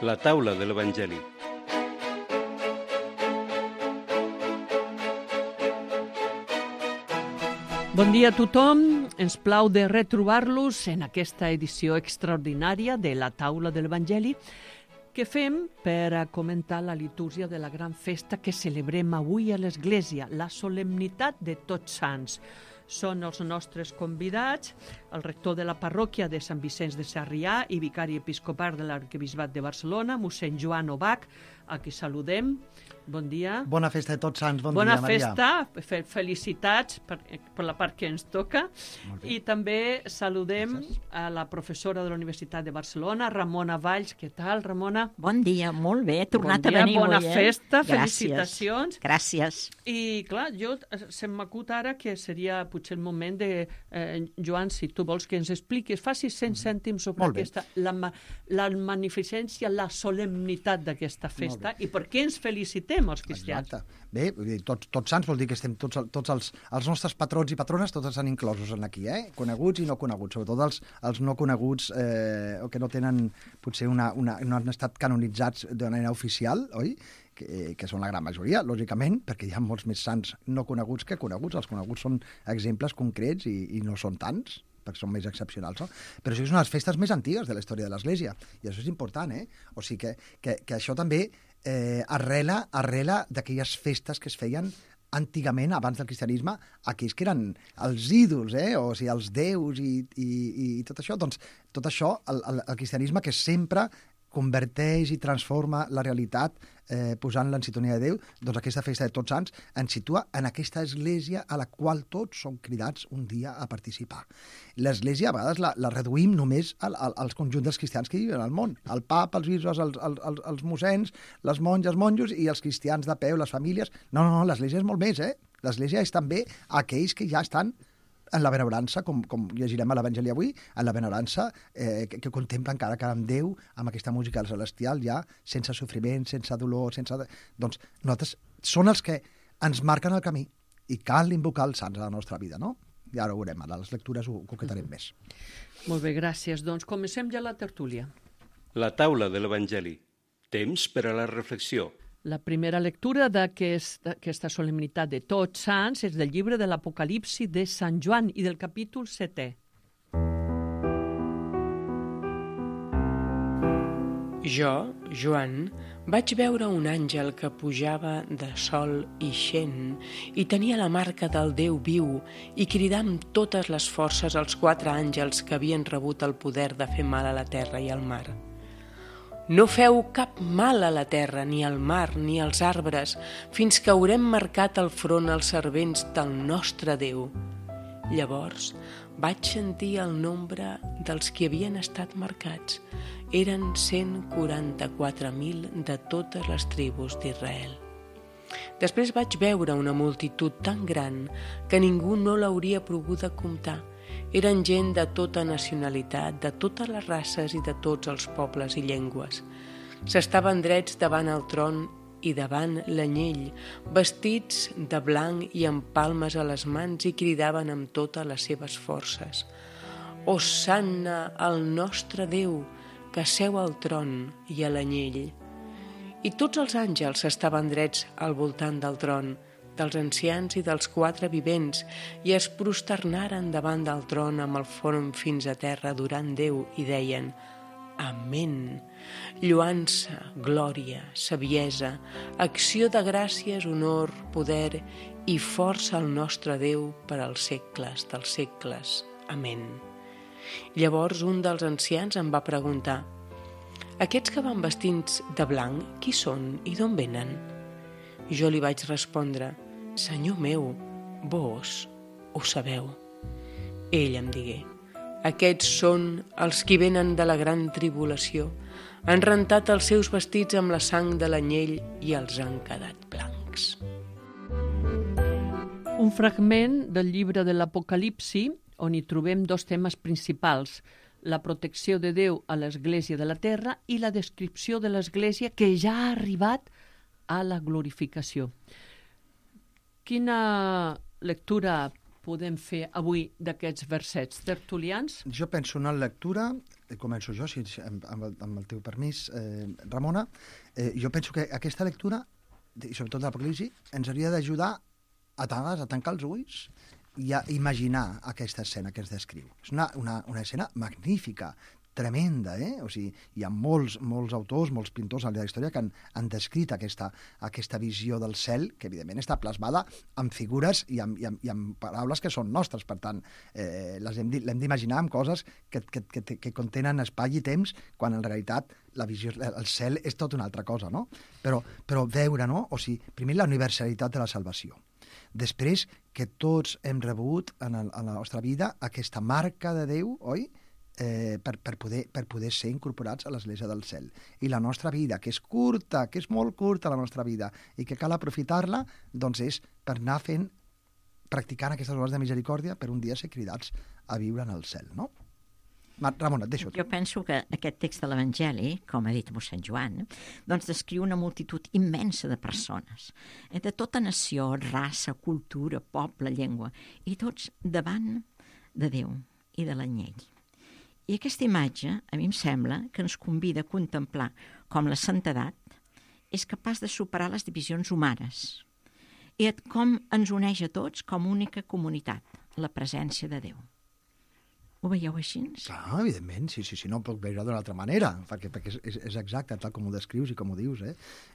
La taula de l'Evangeli. Bon dia a tothom. Ens plau de retrobar-los en aquesta edició extraordinària de la taula de l'Evangeli que fem per a comentar la litúrgia de la gran festa que celebrem avui a l'Església, la solemnitat de Tots Sants. Són els nostres convidats, el rector de la parròquia de Sant Vicenç de Sarrià i vicari episcopal de l'Arquebisbat de Barcelona, mossèn Joan Obach, a qui saludem. Bon dia. Bona festa de Tots Sants, bon Bona dia, Maria. Bona festa, felicitats per la part que ens toca. I també saludem a la professora de la Universitat de Barcelona, Ramona Valls. Què tal, Ramona? Bon dia, molt bé, he tornat Bon dia, a venir bona avui. festa, Gràcies. felicitacions. Gràcies. I, clar, se'm m'acut ara que seria potser el moment de, Joan, si tu vols que ens expliquis, facis 100 cèntims sobre aquesta, la magnificència, la solemnitat d'aquesta festa i per què ens felicitem els cristians. Exacte. Bé, tots sants vol dir que estem tots els nostres patrons i patrones, tots estan inclosos aquí, coneguts i no coneguts, sobretot els no coneguts o que no tenen, potser no han estat canonitzats de manera oficial, oi? Que són la gran majoria, lògicament, perquè hi ha molts més sants no coneguts que coneguts. Els coneguts són exemples concrets i no són tants, perquè són més excepcionals, no? Però això és una de les festes més antigues de la història de l'Església, i això és important, O sigui que això també arrela d'aquelles festes que es feien antigament, abans del cristianisme, aquells que eren els ídols, o sigui, els déus i tot això. Doncs tot això, el cristianisme que sempre converteix i transforma la realitat posant-la en sintonia de Déu, doncs aquesta festa de Tots Sants ens situa en aquesta església a la qual tots som cridats un dia a participar. L'església a vegades la reduïm només als conjunts dels cristians que viuen al món. El papa, els bisbes, els mossens, les monges, monjos i els cristians de peu, les famílies. No, l'església és molt més, L'església és també aquells que ja estan en la benevorança, com llegirem a l'Evangeli avui, en la benevorança que contemplen cada amb Déu, amb aquesta música celestial, ja sense sofriment, sense dolor, Doncs nosaltres són els que ens marquen el camí i cal invocar els sants a la nostra vida, no? I ara ho veurem, a les lectures ho concretarem més. Molt bé, gràcies. Doncs comencem ja la tertúlia. La taula de l'Evangeli. Temps per a la reflexió. La primera lectura d'aquesta solemnitat de Tots Sants és del llibre de l'Apocalipsi de Sant Joan i del capítol 7è. Jo, Joan, vaig veure un àngel que pujava de sol ixent i tenia la marca del Déu viu i cridà amb totes les forces als 4 àngels que havien rebut el poder de fer mal a la terra i al mar. No feu cap mal a la terra, ni al mar, ni als arbres, fins que haurem marcat el front als servents del nostre Déu. Llavors vaig sentir el nombre dels que havien estat marcats. Eren 144.000 de totes les tribus d'Israel. Després vaig veure una multitud tan gran que ningú no l'hauria pogut comptar. Eren gent de tota nacionalitat, de totes les races i de tots els pobles i llengües. S'estaven drets davant el tron i davant l'anyell, vestits de blanc i amb palmes a les mans i cridaven amb totes les seves forces. Hosanna al nostre Déu, que seu al tron i a l'anyell. I tots els àngels estaven drets al voltant del tron, dels ancians i dels 4 vivents, i es prosternaren davant del tron amb el front fins a terra adorant Déu i deien: Amén. Lloança, glòria, saviesa, acció de gràcies, honor, poder i força al nostre Déu per als segles dels segles. Amén. Llavors un dels ancians em va preguntar: Aquests que van vestits de blanc, qui són i d'on venen? Jo li vaig respondre: Senyor meu, vos ho sabeu. Ell em digué: Aquests són els qui venen de la gran tribulació. Han rentat els seus vestits amb la sang de l'anyell i els han quedat blancs. Un fragment del llibre de l'Apocalipsi on hi trobem 2 temes principals: la protecció de Déu a l'Església de la Terra i la descripció de l'Església que ja ha arribat a la glorificació. Quina lectura podem fer avui d'aquests versets tertulians? Jo penso una lectura començo jo, amb el teu permís, Ramona. Jo penso que aquesta lectura, i sobretot l'Apocalipsi, ens hauria d'ajudar a tancar els ulls i a imaginar aquesta escena que ens descriu. És una escena magnífica, tremenda, O sigui, hi ha molts autors, molts pintors de la història que han descrit aquesta visió del cel, que evidentment està plasmada amb figures i amb paraules que són nostres. Per tant, l'hem d'imaginar amb coses que contenen espai i temps, quan en realitat la visió, el cel és tot una altra cosa, no? Però veure, no? O sigui, primer la universalitat de la salvació. Després, que tots hem rebut en la nostra vida aquesta marca de Déu, oi?, per poder ser incorporats a l'Església del Cel. I la nostra vida, que és curta, que és molt curta la nostra vida, i que cal aprofitar-la, doncs és per anar practicant aquestes obres de misericòrdia per un dia ser cridats a viure en el cel, no? Ramona, et deixo. Jo penso que aquest text de l'Evangeli, com ha dit mossèn Joan, doncs descriu una multitud immensa de persones, de tota nació, raça, cultura, poble, llengua, i tots davant de Déu i de l'anyell. I aquesta imatge, a mi em sembla, que ens convida a contemplar com la santedat és capaç de superar les divisions humanes i com ens uneix a tots com única comunitat, la presència de Déu. Ho veieu així? Clar, evidentment, sí, no ho puc veure d'una altra manera, perquè és exacte, tal com ho descrius i com ho dius,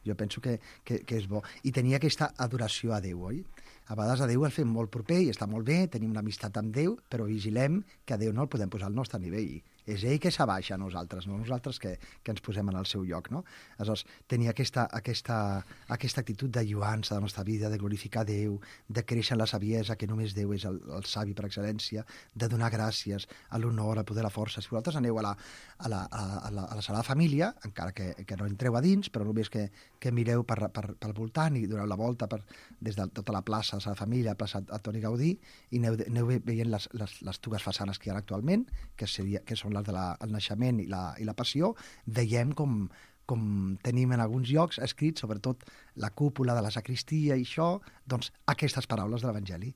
Jo penso que és bo. I tenir aquesta adoració a Déu, oi? A vegades a Déu el fem molt proper i està molt bé, tenim una amistat amb Déu, però vigilem que a Déu no el podem posar al nostre nivell. És ell que s'abaixa a nosaltres, no nosaltres que ens posem en el seu lloc, no? Aleshores, tenir aquesta actitud de lluança de la nostra vida, de glorificar Déu, de créixer en la saviesa, que només Déu és el savi per excel·lència, de donar gràcies a l'honor, al poder, a la força. Si vosaltres aneu a la Sagrada Família, encara que no entreu a dins, però només que mireu pel voltant i doneu la volta des de tota la plaça de la Família, la plaça Antoni Gaudí, i aneu veient les dues façanes que hi ha actualment, que són les del naixement i la passió, veiem com tenim en alguns llocs escrits, sobretot la cúpula de la sacristia i això, doncs aquestes paraules de l'Evangeli.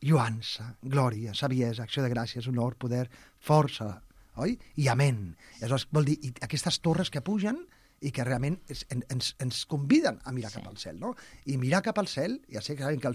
Lluança, glòria, saviesa, acció de gràcies, honor, poder, força, oi? I amén. Aleshores, vol dir, i aquestes torres que pugen i que realment ens conviden a mirar cap al cel, no? I mirar cap al cel, ja sé que sabem que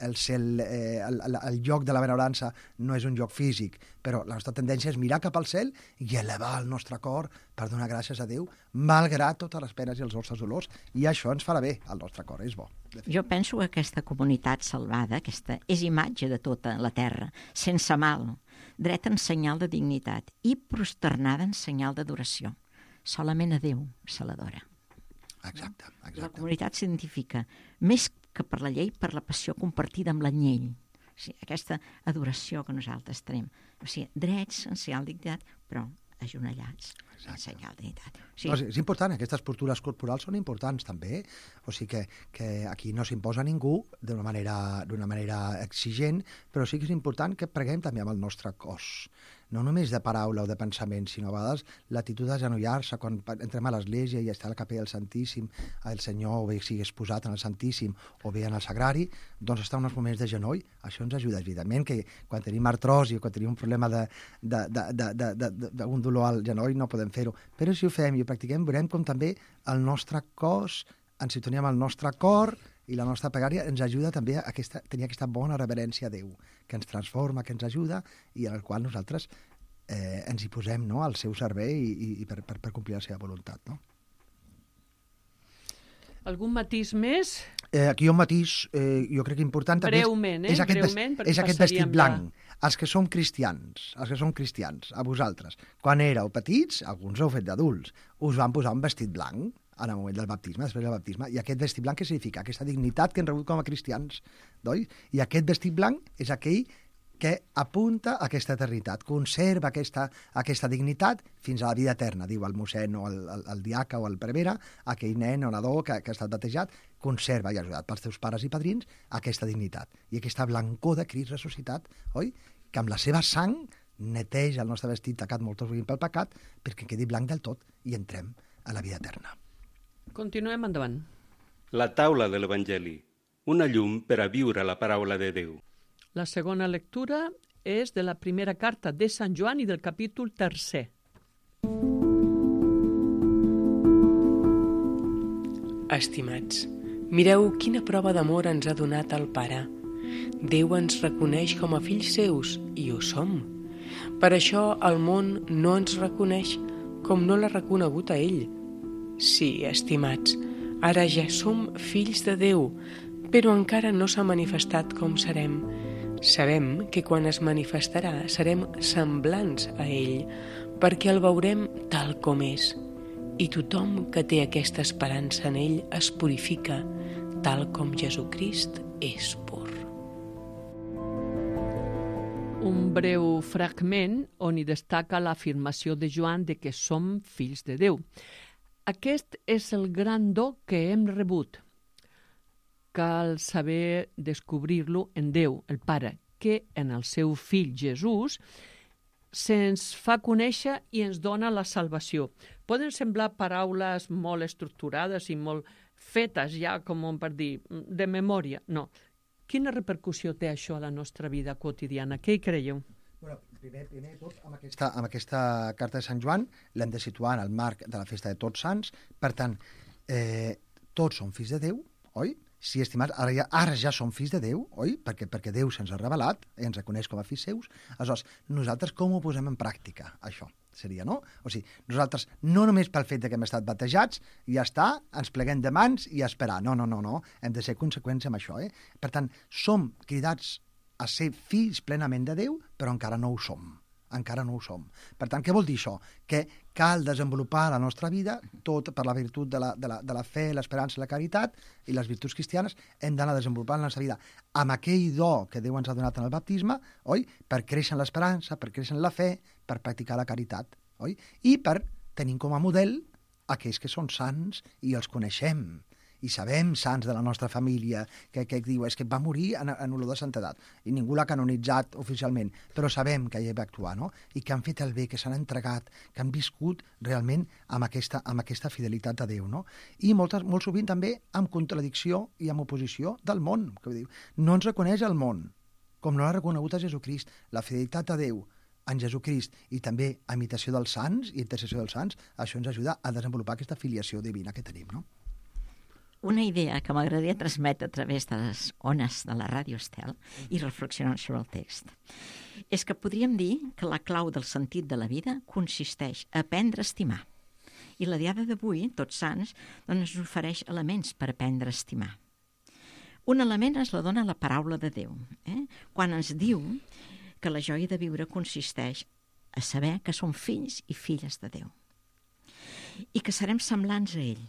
el lloc de la benaurança no és un lloc físic, però la nostra tendència és mirar cap al cel i elevar el nostre cor per donar gràcies a Déu, malgrat totes les penes i els nostres dolors, i això ens farà bé al nostre cor, és bo. Jo penso que aquesta comunitat salvada, aquesta és imatge de tota la terra, sense mal, dreta en senyal de dignitat i prosternada en senyal d'adoració. Solament a Déu se l'adora. Exacte. La comunitat s'identifica més que per la llei, per la passió compartida amb l'anyell. O sigui, aquesta adoració que nosaltres tenim. O sigui, drets, en senyal de dignitat, però ajonellats, en senyal de dignitat. O sigui, és important, aquestes postures corporals són importants també, o sigui que aquí no s'imposa ningú d'una manera exigent, però sí que és important que preguem també amb el nostre cos. No només de paraula o de pensament, sinó a vegades l'actitud d'agenollar-se quan entrem a l'església i està a la capella del Santíssim, el Senyor, o bé sigui exposat en el Santíssim o bé en el Sagrari, doncs està uns moments de genoll. Això ens ajuda, evidentment, que quan tenim artrosi o quan tenim un problema d'un dolor al genoll no podem fer-ho. Però si ho fem i ho practiquem, veurem com també el nostre cos, en sintonia amb el nostre cor, i la nostra pregària ens ajuda també a tenir aquesta bona reverència a Déu, que ens transforma, que ens ajuda i en el qual nosaltres ens hi posem, no?, al seu servei i per complir la seva voluntat, no? Algun matís més? Aquí hi ha un matís, jo crec que important també, breument, és aquest vestit blanc. Els que som cristians, a vosaltres, quan éreu petits, alguns ho heu fet d'adults, us van posar un vestit blanc en el moment del baptisme, després del baptisme, i aquest vestit blanc què significa? Aquesta dignitat que hem rebut com a cristians, oi? I aquest vestit blanc és aquell que apunta a aquesta eternitat, conserva aquesta dignitat fins a la vida eterna, diu el mossèn o el diaca o el prevere, aquell nen o nadó que ha estat batejat, conserva i ajudat pels teus pares i padrins aquesta dignitat i aquesta blancor de Crist ressuscitat, oi? Que amb la seva sang neteja el nostre vestit tacat molt sovint pel pecat perquè quedi blanc del tot i entrem a la vida eterna. Continuem endavant. La taula de l'Evangeli, una llum per a viure la paraula de Déu. La segona lectura és de la primera carta de Sant Joan i del capítol 3. Estimats, mireu quina prova d'amor ens ha donat el Pare. Déu ens reconeix com a fills seus, i ho som. Per això el món no ens reconeix com no l'ha reconegut a ell. Sí, estimats, ara ja som fills de Déu, però encara no s'ha manifestat com serem. Sabem que quan es manifestarà serem semblants a ell, perquè el veurem tal com és. I tothom que té aquesta esperança en ell es purifica, tal com Jesucrist és pur. Un breu fragment on hi destaca l'afirmació de Joan de que som fills de Déu. Aquest és el gran do que hem rebut. Cal saber descobrir-lo en Déu, el Pare, que en el seu fill Jesús se'ns fa conèixer i ens dona la salvació. Poden semblar paraules molt estructurades i molt fetes ja, com per dir, de memòria. No. Quina repercussió té això a la nostra vida quotidiana? Què hi creieu? Bueno, primer de tot, amb aquesta carta de Sant Joan l'hem de situar en el marc de la festa de Tots Sants. Per tant, tots som fills de Déu, oi? Sí, estimats, ara ja som fills de Déu, oi? Perquè Déu se'ns ha revelat, ens reconeix com a fills seus. Aleshores, nosaltres com ho posem en pràctica, això? Seria, no? O sigui, nosaltres, no només pel fet que hem estat batejats, ja està, ens pleguem de mans i a esperar. No. Hem de ser conseqüents amb això, Per tant, som cridats a ser fills plenament de Déu, però encara no ho som. Encara no ho som. Per tant, què vol dir això? Que cal desenvolupar la nostra vida, tot per la virtut de la fe, l'esperança i la caritat, i les virtuts cristianes, hem d'anar desenvolupant la nostra vida amb aquell do que Déu ens ha donat en el baptisme, oi? Per créixer en l'esperança, per créixer en la fe, per practicar la caritat, oi? I per tenir com a model aquells que són sants i els coneixem. I sabem sants de la nostra família que diu és que va morir en olor de santedat i ningú l'ha canonitzat oficialment, però sabem que ell va actuar, no? I que han fet el bé, que s'han entregat, que han viscut realment amb aquesta fidelitat a Déu, no? I molt sovint també amb contradicció i amb oposició del món, que diu, no ens reconeix el món, com no l'ha reconegut a Jesucrist. La fidelitat a Déu en Jesucrist i també a imitació dels sants i intercessió dels sants, això ens ajuda a desenvolupar aquesta filiació divina que tenim, no? Una idea que m'agradaria transmetre a través de les ones de la Ràdio Estel i reflexionar sobre el text és que podríem dir que la clau del sentit de la vida consisteix a aprendre a estimar. I la diada d'avui, Tots Sants, doncs ens ofereix elements per aprendre a estimar. Un element ens la dona la paraula de Déu, quan ens diu que la joia de viure consisteix a saber que som fills i filles de Déu i que serem semblants a ell.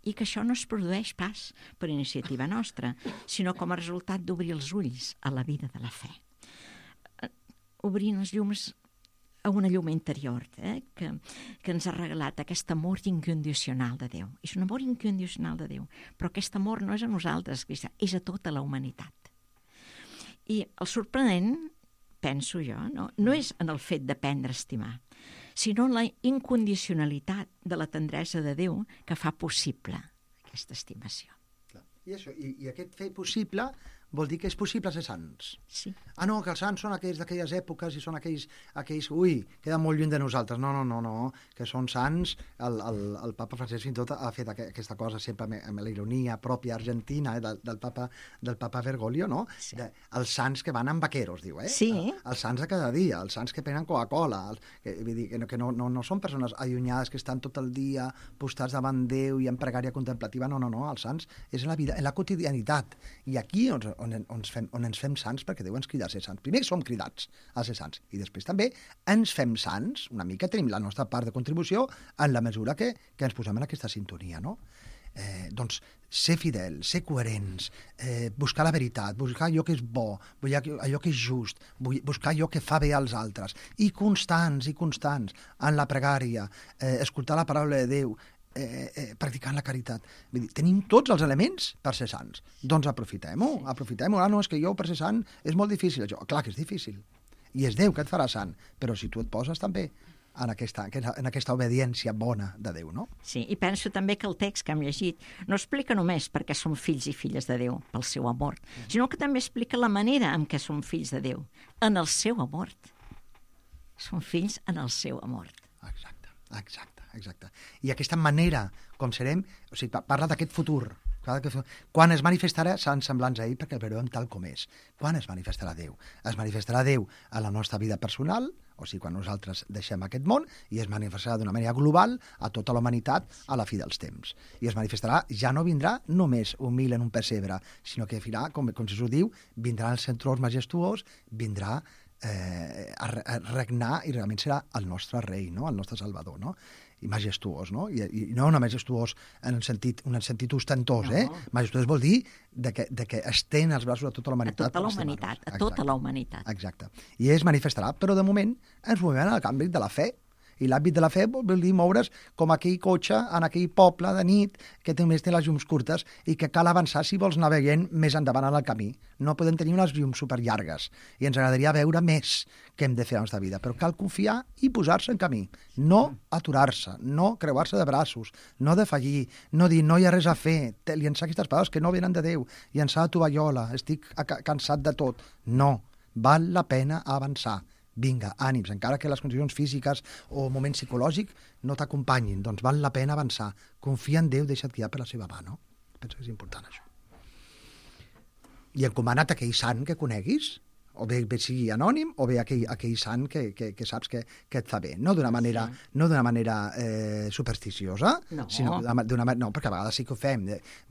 I que això no es produeix pas per iniciativa nostra, sinó com a resultat d'obrir els ulls a la vida de la fe. Obrint els llums a una llum interior que ens ha regalat aquest amor incondicional de Déu. És un amor incondicional de Déu, però aquest amor no és a nosaltres, és a tota la humanitat. I el sorprenent, penso jo, no és en el fet d'aprendre a estimar, sinó la incondicionalitat de la tendresa de Déu que fa possible aquesta estimació. I aquest fer possible vol dir que és possible ser sants. Sí. Ah, no, que els sants són aquells d'aquelles èpoques i són aquells, queden molt lluny de nosaltres. No, que són sants. El papa Francesc fins i tot ha fet aquesta cosa sempre amb la ironia pròpia argentina del papa Bergoglio, no? Sí. Els sants que van amb vaqueros, diu, Sí. Els sants de cada dia, els sants que prenen Coca-Cola, vull dir, que no són persones allunyades que estan tot el dia postats davant Déu i en pregària contemplativa, no, els sants és en la vida, en la quotidianitat. I aquí on ens fem sants, perquè Déu ens crida a ser sants. Primer som cridats a ser sants i després també ens fem sants, una mica tenim la nostra part de contribució en la mesura que ens posem en aquesta sintonia, no? Doncs ser fidels, ser coherents, buscar la veritat, buscar allò que és bo, allò que és just, buscar allò que fa bé als altres, i constants en la pregària, escoltar la paraula de Déu, practicant la caritat. Vull dir, tenim tots els elements per ser sants. Doncs aprofitem-ho. No, és que jo per ser sant és molt difícil. Clar que és difícil. I és Déu que et farà sant. Però si tu et poses també en aquesta obediència bona de Déu, no? Sí, i penso també que el text que hem llegit no explica només perquè som fills i filles de Déu, pel seu amor, sinó que també explica la manera en què som fills de Déu, en el seu amor. Som fills en el seu amor. Exacte. exacte. I aquesta manera com serem, o sigui, parla d'aquest futur. Quan es manifestarà, seran semblants a ell perquè el veurem tal com és. Quan es manifestarà Déu? Es manifestarà Déu a la nostra vida personal, o sigui, quan nosaltres deixem aquest món, i es manifestarà d'una manera global a tota la humanitat a la fi dels temps. I es manifestarà, ja no vindrà només humil en un pessebre, sinó que vindrà, com Jesús diu, vindrà el centrós majestuós, vindrà a regnar i realment serà el nostre rei, no? El nostre salvador, no? I majestuós, no? I no majestuós en un sentit ostentós, Majestuós vol dir que estén els braços a tota la humanitat. A tota la humanitat. Exacte. I es manifestarà, però de moment ens movem en l'àmbit de la fe. I l'àmbit de la fe vol dir moure's com aquell cotxe en aquell poble de nit que només té les llums curtes i que cal avançar si vols anar veient més endavant en el camí. No podem tenir unes llums superllargues i ens agradaria veure més què hem de fer a la nostra vida, però cal confiar i posar-se en camí. No aturar-se, no creuar-se de braços, no defallir, no dir no hi ha res a fer, llençar aquestes paraules que no venen de Déu, llençar la tovallola, estic cansat de tot. No, val la pena avançar. Vinga, ànims, encara que les condicions físiques o moment psicològic no t'acompanyin, doncs val la pena avançar. Confia en Déu, deixa't guiar per la seva mà, no? Penso que és important, això. I encomana't aquell sant que coneguis, o bé sigui anònim, o bé aquell sant que saps que et fa bé. No d'una manera, supersticiosa, sinó d'una manera... No, perquè a vegades sí que ho fem.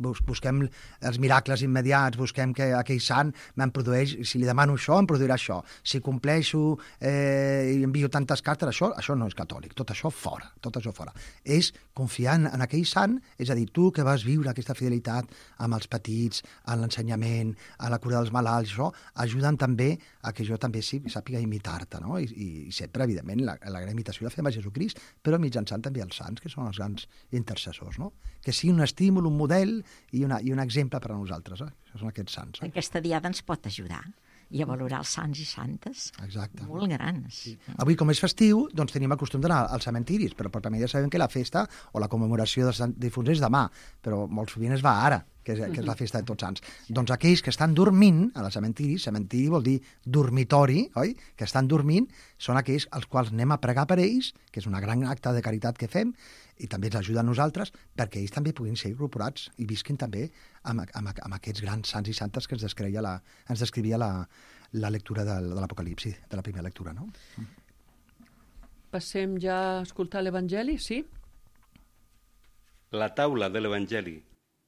Busquem els miracles immediats, busquem que aquell sant me'n produeix, si li demano això, em produirà això. Si compleixo i envio tantes cartes, això no és catòlic. Tot això fora. És confiar en aquell sant, és a dir, tu que vas viure aquesta fidelitat amb els petits, en l'ensenyament, a la cura dels malalts, això, ajuden també a que jo també sàpiga imitar-te, no? I sempre, evidentment, la gran imitació la fem a Jesucrist, però mitjançant també els sants, que són els grans intercessors, no? Que sigui un estímul, un model i un exemple per a nosaltres, Això són aquests sants. Aquesta diada ens pot ajudar i a valorar els sants i santes. Exacte. Molt grans. Sí. Avui, com és festiu, doncs tenim el costum d'anar als cementiris, però per ja sabem que la festa o la commemoració dels difunts és demà, però molt sovint es va ara, que és la festa de Tots Sants. Doncs aquells que estan dormint a la cementiri vol dir dormitori, oi? Que estan dormint, són aquells als quals anem a pregar per ells, que és una gran acte de caritat que fem, i també ens ajuda a nosaltres, perquè ells també puguin ser incorporats i visquin també amb aquests grans sants i santes que ens descrivia la lectura de l'Apocalipsi, de la primera lectura, no? Passem ja a escoltar l'Evangeli, sí? La taula de l'Evangeli.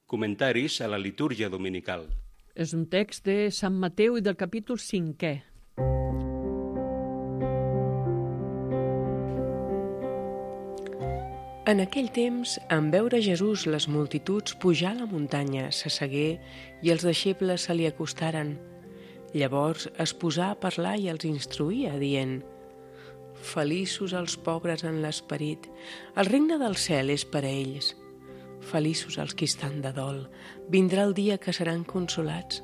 Comentaris a la litúrgia dominical. És un text de Sant Mateu i del capítol 5è. En aquell temps, en veure Jesús les multituds pujar a la muntanya, s'assegué i els deixebles se li acostaren. Llavors es posà a parlar i els instruïa, dient: Feliços els pobres en l'esperit, el regne del cel és per a ells. Feliços els qui estan de dol, vindrà el dia que seran consolats.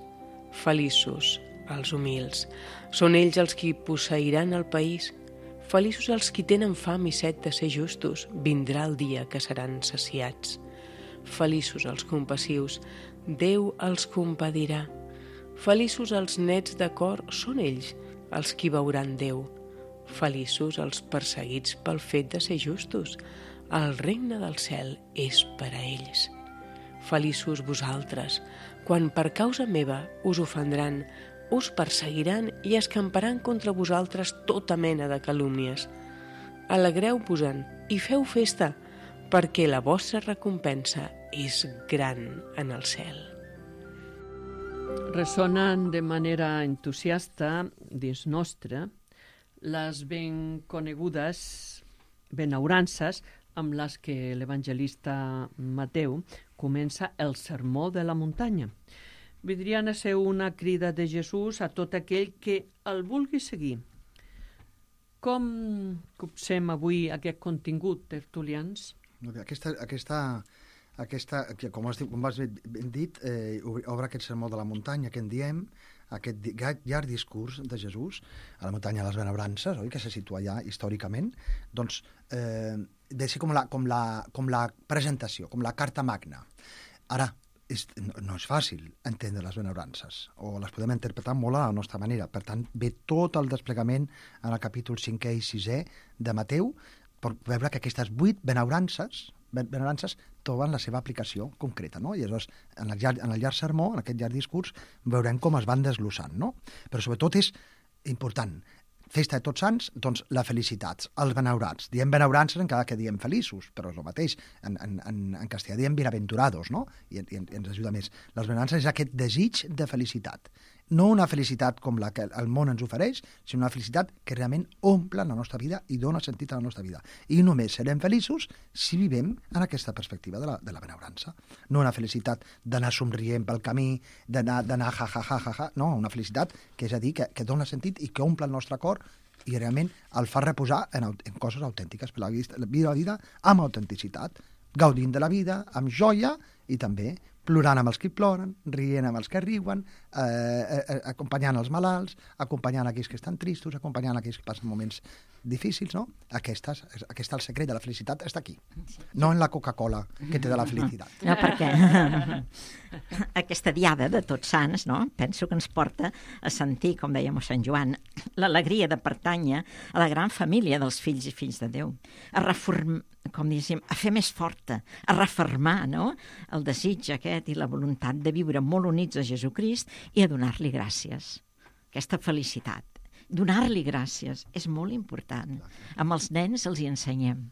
Feliços els humils, són ells els qui posseiran el país. Feliços els qui tenen fam i set de ser justos, vindrà el dia que seran saciats. Feliços els compassius, Déu els compadirà. Feliços els nets de cor, són ells els qui veuran Déu. Feliços els perseguits pel fet de ser justos, el regne del cel és per a ells. Feliços vosaltres, quan per causa meva us ofendran, us perseguiran i escamparan contra vosaltres tota mena de calúmnies. Alegreu-vos-en i feu festa, perquè la vostra recompensa és gran en el cel. Ressonen de manera entusiasta dins nostre les ben conegudes benaurances amb les que l'evangelista Mateu comença el sermó de la muntanya. Vindrien a ser una crida de Jesús a tot aquell que el vulgui seguir. Com copsem avui aquest contingut, tertulians? Aquesta, com has ben dit, obre aquest sermó de la muntanya que en diem, aquest llarg discurs de Jesús a la muntanya de les Benaurances, oi, que se situa allà històricament, doncs de ser com la presentació, com la carta magna. Ara, no és fàcil entendre les benaurances, o les podem interpretar molt a la nostra manera. Per tant, ve tot el desplegament en el capítol 5è i 6è de Mateu, per veure que aquestes 8 benaurances troben la seva aplicació concreta, no? I llavors, en el llarg sermó, en aquest llarg discurs, veurem com es van desglossant, no? Però sobretot és important, festa de Tots Sants, doncs la felicitat, els benaurats. Diem benaurances encara que diem feliços, però és el mateix. En castellà diem bienaventurados, no? I ens ajuda més. Les benaurances és aquest desig de felicitat. No una felicitat com la que el món ens ofereix, sinó una felicitat que realment omple la nostra vida i dona sentit a la nostra vida. I només serem feliços si vivim en aquesta perspectiva de la benaurança. No una felicitat d'anar somrient pel camí, d'anar ja, no, una felicitat que és a dir, que dona sentit i que omple el nostre cor i realment el fa reposar en coses autèntiques, per la vida amb autenticitat, gaudint de la vida, amb joia i també plorant amb els que ploren, rient amb els que riuen, acompanyant els malalts, acompanyant aquells que estan tristos, acompanyant aquells que passen moments difícils, no? Aquest el secret de la felicitat està aquí, no en la Coca-Cola que té de la felicitat. No, perquè aquesta diada de Tots Sants, no? Penso que ens porta a sentir, com deia mossèn Joan, l'alegria de pertànyer a la gran família dels fills i fills de Déu, a reformar, com diguéssim, a fer més forta, a refermar, no?, el desig aquest i la voluntat de viure molt units a Jesucrist i a donar-li gràcies. Aquesta felicitat. Donar-li gràcies és molt important. Amb els nens els hi ensenyem.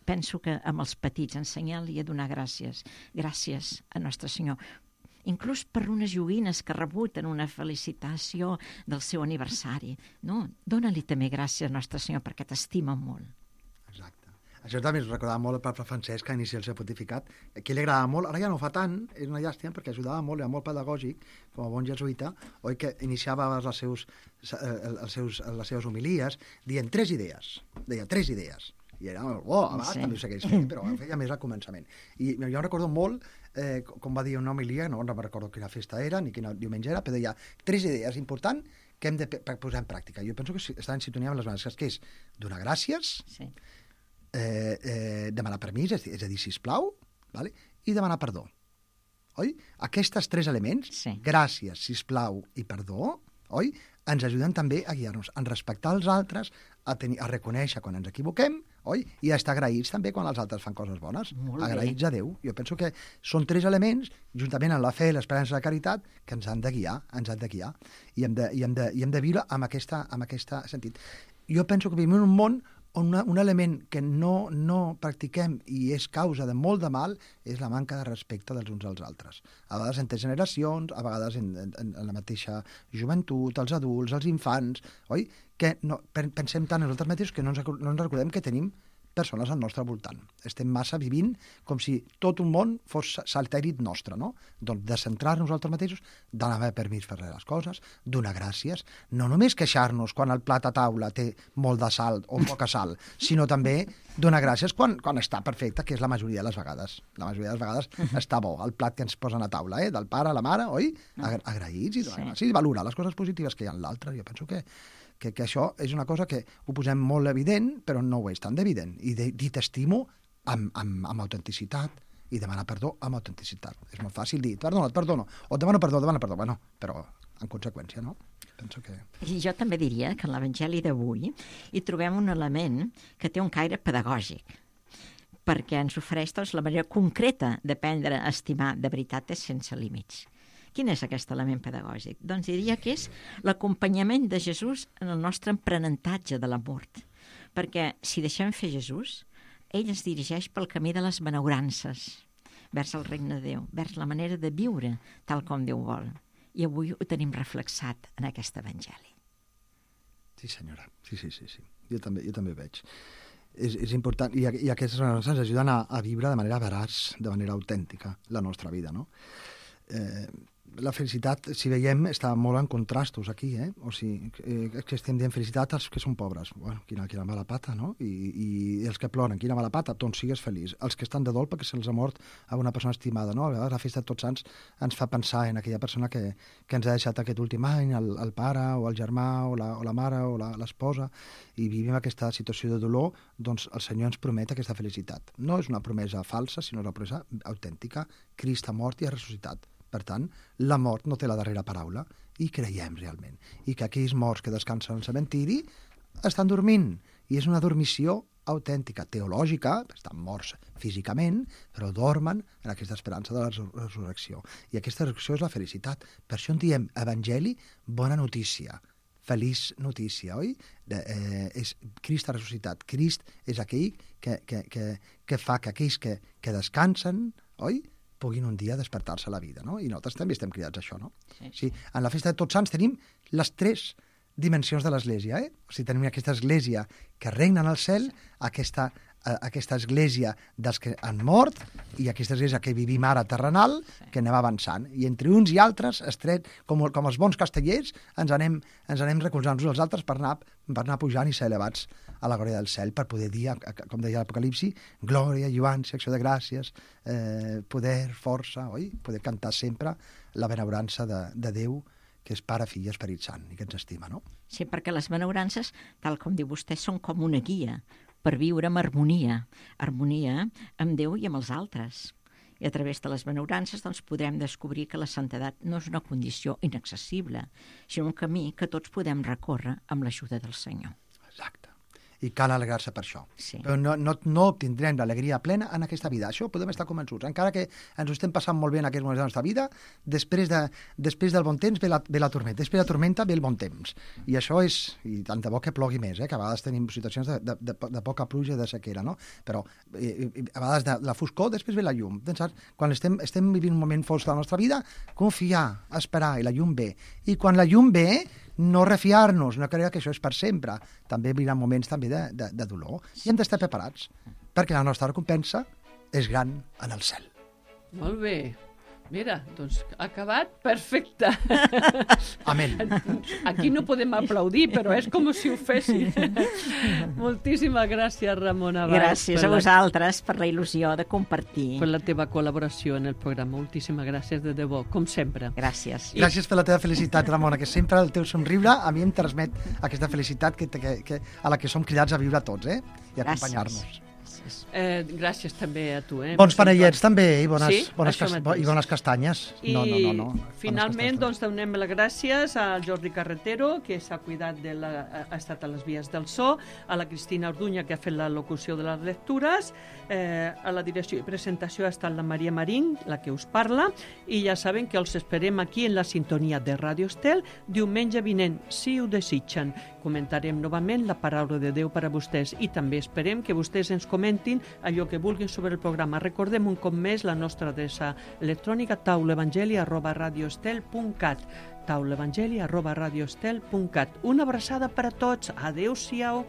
Penso que amb els petits ensenyar-li a donar gràcies. Gràcies a Nostre Senyor. Inclús per unes joguines que ha rebut en una felicitació del seu aniversari. No, dóna-li també gràcies a Nostre Senyor perquè t'estima molt. Exacte. Això també ens recordava molt el papa Francesc, que inicia el seu pontificat. Aquí li agradava molt, ara ja no fa tant, és una llàstima, perquè ajudava molt, era molt pedagògic, com a bon jesuïta, oi, que iniciava les seves homilies dient 3 idees. Deia 3 idees. I era molt bo, a vegades també ho segueix fent, però ho feia més al començament. I jo recordo molt, com va dir una homilia, no recordo quina festa era, ni quin diumenge era, però deia 3 idees importants que hem de posar en pràctica. Jo penso que està en sintonia amb les benediccions, que és donar gràcies, sí. Demanar permís, és a dir, sisplau, vale? I demanar perdó. Oi? Aquests 3 elements, sí. Gràcies, sisplau i perdó, oi? Ens ajuden també a guiar-nos, a respectar els altres, a reconèixer quan ens equivoquem, oi? I a estar agraïts també quan els altres fan coses bones. Agraïts a Déu. Jo penso que són 3 elements, juntament amb la fe, l'esperança i la caritat, que ens han de guiar, I hem de viure amb aquest sentit. Jo penso que vivim en un món on un element que no practiquem i és causa de molt de mal és la manca de respecte dels uns als altres. A vegades entre generacions, a vegades en la mateixa joventut, els adults, els infants, oi? Que pensem tant en nosaltres mateixos que no ens recordem que tenim persones al nostre voltant. Estem massa vivint com si tot un món fos satèl·lit nostre, no? Doncs de centrar-nos nosaltres mateixos, donar permís per les coses, donar gràcies, no només queixar-nos quan el plat a taula té molt de sal o poca sal, sinó també donar gràcies quan està perfecte, que és la majoria de les vegades. La majoria de les vegades està bo, el plat que ens posen a taula, del pare a la mare, oi? Agraïts i donar gràcies, i valorar les coses positives que hi ha en l'altre. Jo penso que això és una cosa que ho posem molt evident, però no ho és tan evident. I dir t'estimo amb autenticitat i demanar perdó amb autenticitat. És molt fàcil dir, et perdono, o et demano perdó. Bueno, però en conseqüència, no? Penso que... I jo també diria que en l'Evangeli d'avui hi trobem un element que té un caire pedagògic, perquè ens ofereix la manera concreta d'aprendre a estimar de veritat és sense límits. Quin és aquest element pedagògic? Doncs diria que és l'acompanyament de Jesús en el nostre aprenentatge de la mort. Perquè si deixem fer Jesús, ell ens dirigeix pel camí de les benaurances, vers el regne de Déu, vers la manera de viure tal com Déu vol. I avui ho tenim reflexat en aquest Evangeli. Sí, senyora. Sí. Jo també ho veig. És important, i aquestes benaurances ens ajuden a viure de manera veraç, de manera autèntica, la nostra vida, no? La felicitat, si veiem, està molt en contrastos aquí, O sigui, que estem dient felicitat als que són pobres. Bueno, quina mala pata, no? I els que ploren, quina mala pata, doncs sigues feliç. Els que estan de dol perquè se'ls ha mort a una persona estimada, no? A vegades la festa de Tots Sants ens fa pensar en aquella persona que ens ha deixat aquest últim any, el pare, o el germà, o la mare, o l'esposa, i vivim aquesta situació de dolor, doncs el Senyor ens promet aquesta felicitat. No és una promesa falsa, sinó una promesa autèntica. Crist ha mort i ha ressuscitat. Per tant, la mort no té la darrera paraula i creiem realment. I que aquells morts que descansen al cementiri estan dormint. I és una dormició autèntica, teològica, estan morts físicament, però dormen en aquesta esperança de la resurrecció. I aquesta resurrecció és la felicitat. Per això en diem evangeli, bona notícia, feliç notícia, oi? És Crist ha ressuscitat. Crist és aquell que fa que aquells que descansen, oi?, puguin un dia despertar-se a la vida, no? I nosaltres també estem cridats a això, no? Sí. En la festa de Tots Sants tenim les 3 dimensions de l'Església, O sigui, tenim aquesta Església que regna en el cel, aquesta Església dels que han mort i aquesta Església que vivim ara terrenal, que anem avançant. I entre uns i altres, estret, com els bons castellers, ens anem recolzant uns als altres per anar pujant i ser elevats a la glòria del cel, per poder dir, com deia l'Apocalipsi, glòria, lluança, acció de gràcies, poder, força, oi? Poder cantar sempre la benaurança de Déu, que és Pare, Fill i Esperit Sant, i que ens estima, no? Sí, perquè les benaurances, tal com diu vostè, són com una guia per viure amb harmonia amb Déu i amb els altres. I a través de les benaurances doncs, podrem descobrir que la santedat no és una condició inaccessible, sinó un camí que tots podem recórrer amb l'ajuda del Senyor. Exacte. I cal alegrar-se per això. Sí. Però no obtindrem l'alegria plena en aquesta vida. Això podem estar convençuts. Encara que ens ho estem passant molt bé en aquests moments de la nostra vida, després del bon temps ve la tormenta. Després de la tormenta ve el bon temps. I això és... I tant de bo que plogui més, que a vegades tenim situacions de poca pluja i de sequera, no? Però a vegades de la foscor, després ve la llum. Quan estem vivint un moment fosc de la nostra vida, confiar, esperar, i la llum ve. I quan la llum ve, no refiar-nos, no creure que això és per sempre. També vindran moments també de dolor. I hem d'estar preparats, perquè la nostra recompensa és gran en el cel. Molt bé. Mira, doncs acabat, perfecte. Amén. Aquí no podem aplaudir, però és com si ho fessin. Moltíssimes gràcies, Ramona Valls. Gràcies a vosaltres per la il·lusió de compartir. Per la teva col·laboració en el programa. Moltíssimes gràcies, de debò, com sempre. Gràcies. Gràcies per la teva felicitat, Ramona, que sempre el teu somriure a mi em transmet aquesta felicitat a la que som cridats a viure tots, i a acompanyar-nos. Gràcies també a tu. Bons panellets també, i Sí? bones castanyes. No. Finalment, doncs, donem les gràcies al Jordi Carretero, que s'ha cuidat ha estat a les vies del so, a la Cristina Orduña, que ha fet la locució de les lectures, a la direcció i presentació ha estat la Maria Marín, la que us parla, i ja saben que els esperem aquí en la sintonia de Ràdio Estel diumenge vinent, si ho desitgen. Comentarem novament la paraula de Déu per a vostès i també esperem que vostès ens comentin allò que vulguin sobre el programa. Recordem un cop més la nostra adreça electrònica taulaevangeli@radioestel.cat taulaevangeli@radioestel.cat. Una abraçada per a tots. Adéu-siau.